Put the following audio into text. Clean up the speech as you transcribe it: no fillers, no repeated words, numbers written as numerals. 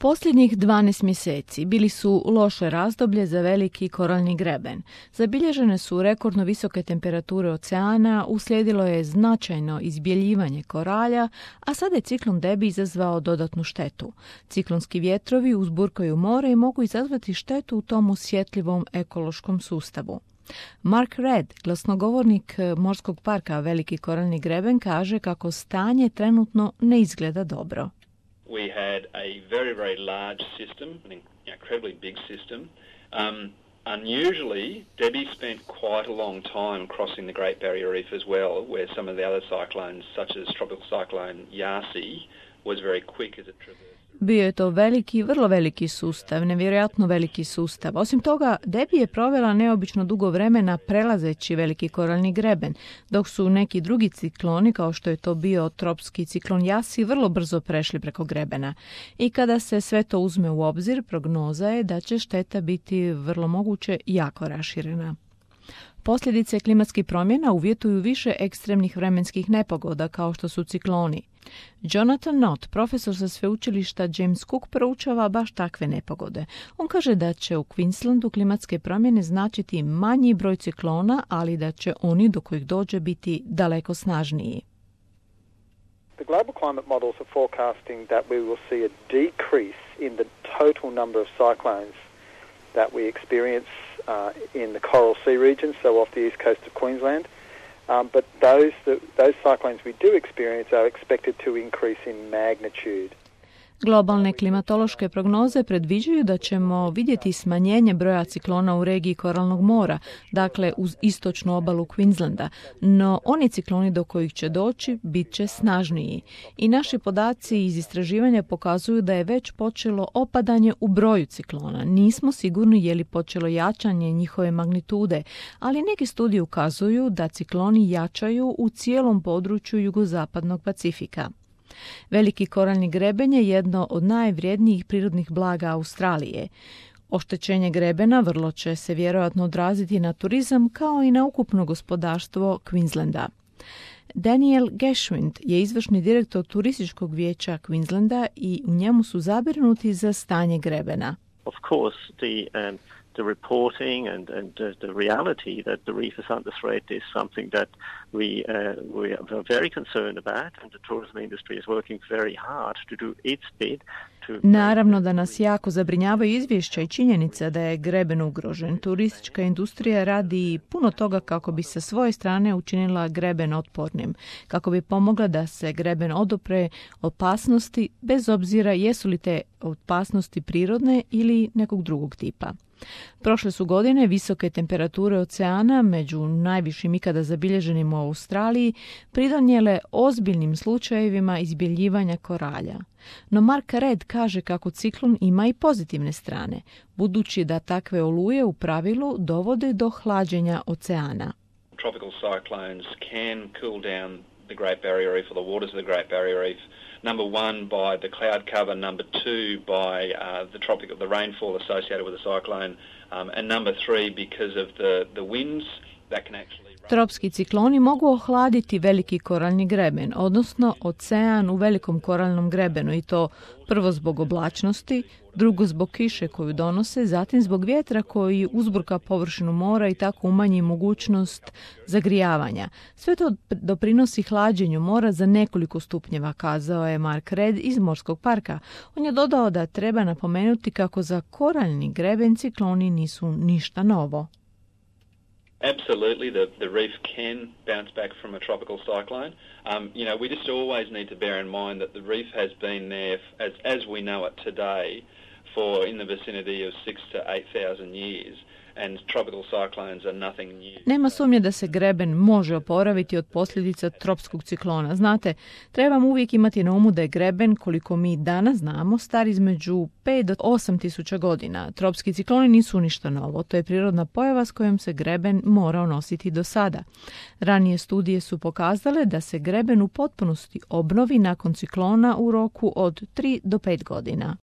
Posljednjih 12 mjeseci bili su loše razdoblje za veliki koralni greben. Zabilježene su rekordno visoke temperature oceana, uslijedilo je značajno izbjeljivanje koralja, a sada je ciklon Debbie izazvao dodatnu štetu. Ciklonski vjetrovi uzburkaju more i mogu izazvati štetu u tom osjetljivom ekološkom sustavu. Mark Read, glasnogovornik Morskog parka Veliki koralni greben, kaže kako stanje trenutno ne izgleda dobro. We had a very, very large system, an incredibly big system. Unusually, Debbie spent quite a long time crossing the Great Barrier Reef as well, where some of the other cyclones, such as Tropical Cyclone Yasi, was very quick as it traversed. Bio je to veliki, vrlo veliki sustav, nevjerojatno veliki sustav. Osim toga, Debbie je provela neobično dugo vremena prelazeći veliki koralni greben, dok su neki drugi cikloni, kao što je to bio tropski ciklon Yasi, vrlo brzo prešli preko grebena. I kada se sve to uzme u obzir, prognoza je da će šteta biti vrlo moguće jako raširena. Posljedice klimatskih promjena uvjetuju više ekstremnih vremenskih nepogoda kao što su cikloni. Jonathan Knott, profesor sa sveučilišta James Cook, proučava baš takve nepogode. On kaže da će u Queenslandu klimatske promjene značiti manji broj ciklona, ali da će oni do kojih dođe biti daleko snažniji. The global climate models are forecasting that we will see a decrease in the total number of cyclones that we experience in the Coral Sea region, so off the east coast of Queensland. But those cyclones we do experience are expected to increase in magnitude. Globalne klimatološke prognoze predviđaju da ćemo vidjeti smanjenje broja ciklona u regiji Koralnog mora, dakle uz istočnu obalu Queenslanda, no oni cikloni do kojih će doći bit će snažniji. I naši podaci iz istraživanja pokazuju da je već počelo opadanje u broju ciklona. Nismo sigurni je li počelo jačanje njihove magnitude, ali neki studiji ukazuju da cikloni jačaju u cijelom području jugozapadnog Pacifika. Veliki koralni greben je jedno od najvrijednijih prirodnih blaga Australije. Oštećenje grebena vrlo će se vjerojatno odraziti na turizam kao i na ukupno gospodarstvo Queenslanda. Daniel Geschwind je izvršni direktor turističkog vijeća Queenslanda i u njemu su zabrinuti za stanje grebena. Of course, the reporting and the reality that the reef is under threat is something that we are very concerned about, and the tourism industry is working very hard to do its bit. Naravno da nas jako zabrinjavaju izvješća i činjenica da je greben ugrožen. Turistička industrija radi puno toga kako bi sa svoje strane učinila greben otpornim, kako bi pomogla da se greben odupre opasnosti, bez obzira jesu li te opasnosti prirodne ili nekog drugog tipa. Prošle su godine visoke temperature oceana, među najvišim ikada zabilježenim u Australiji, pridonijele ozbiljnim slučajevima izbjeljivanja koralja. No Mark Read kaže kako ciklon ima i pozitivne strane, budući da takve oluje u pravilu dovode do hlađenja oceana. Tropical cyclones can cool down the Great Barrier Reef or the waters of the Great Barrier Reef. Number one, by the cloud cover. Number two, by the rainfall associated with the cyclone. And number three, because of the winds that can actually... Tropski cikloni mogu ohladiti veliki koralni greben, odnosno ocean u velikom koralnom grebenu, i to prvo zbog oblačnosti, drugo zbog kiše koju donose, zatim zbog vjetra koji uzburka površinu mora i tako umanji mogućnost zagrijavanja. Sve to doprinosi hlađenju mora za nekoliko stupnjeva, kazao je Mark Read iz Morskog parka. On je dodao da treba napomenuti kako za koralni greben cikloni nisu ništa novo. Absolutely, the reef can bounce back from a tropical cyclone. We just always need to bear in mind that the reef has been there, as we know it today, for in the vicinity of 6,000 to 8,000 years. And tropical cyclones are nothing new. Nema sumnje da se greben može oporaviti od posljedica tropskog ciklona. Znate, trebamo uvijek imati na umu da je greben, koliko mi danas znamo, star između 5 do 8 tisuća godina. Tropski cikloni nisu ništa novo. To je prirodna pojava s kojom se greben morao nositi do sada. Ranije studije su pokazale da se greben u potpunosti obnovi nakon ciklona u roku od 3 do 5 godina.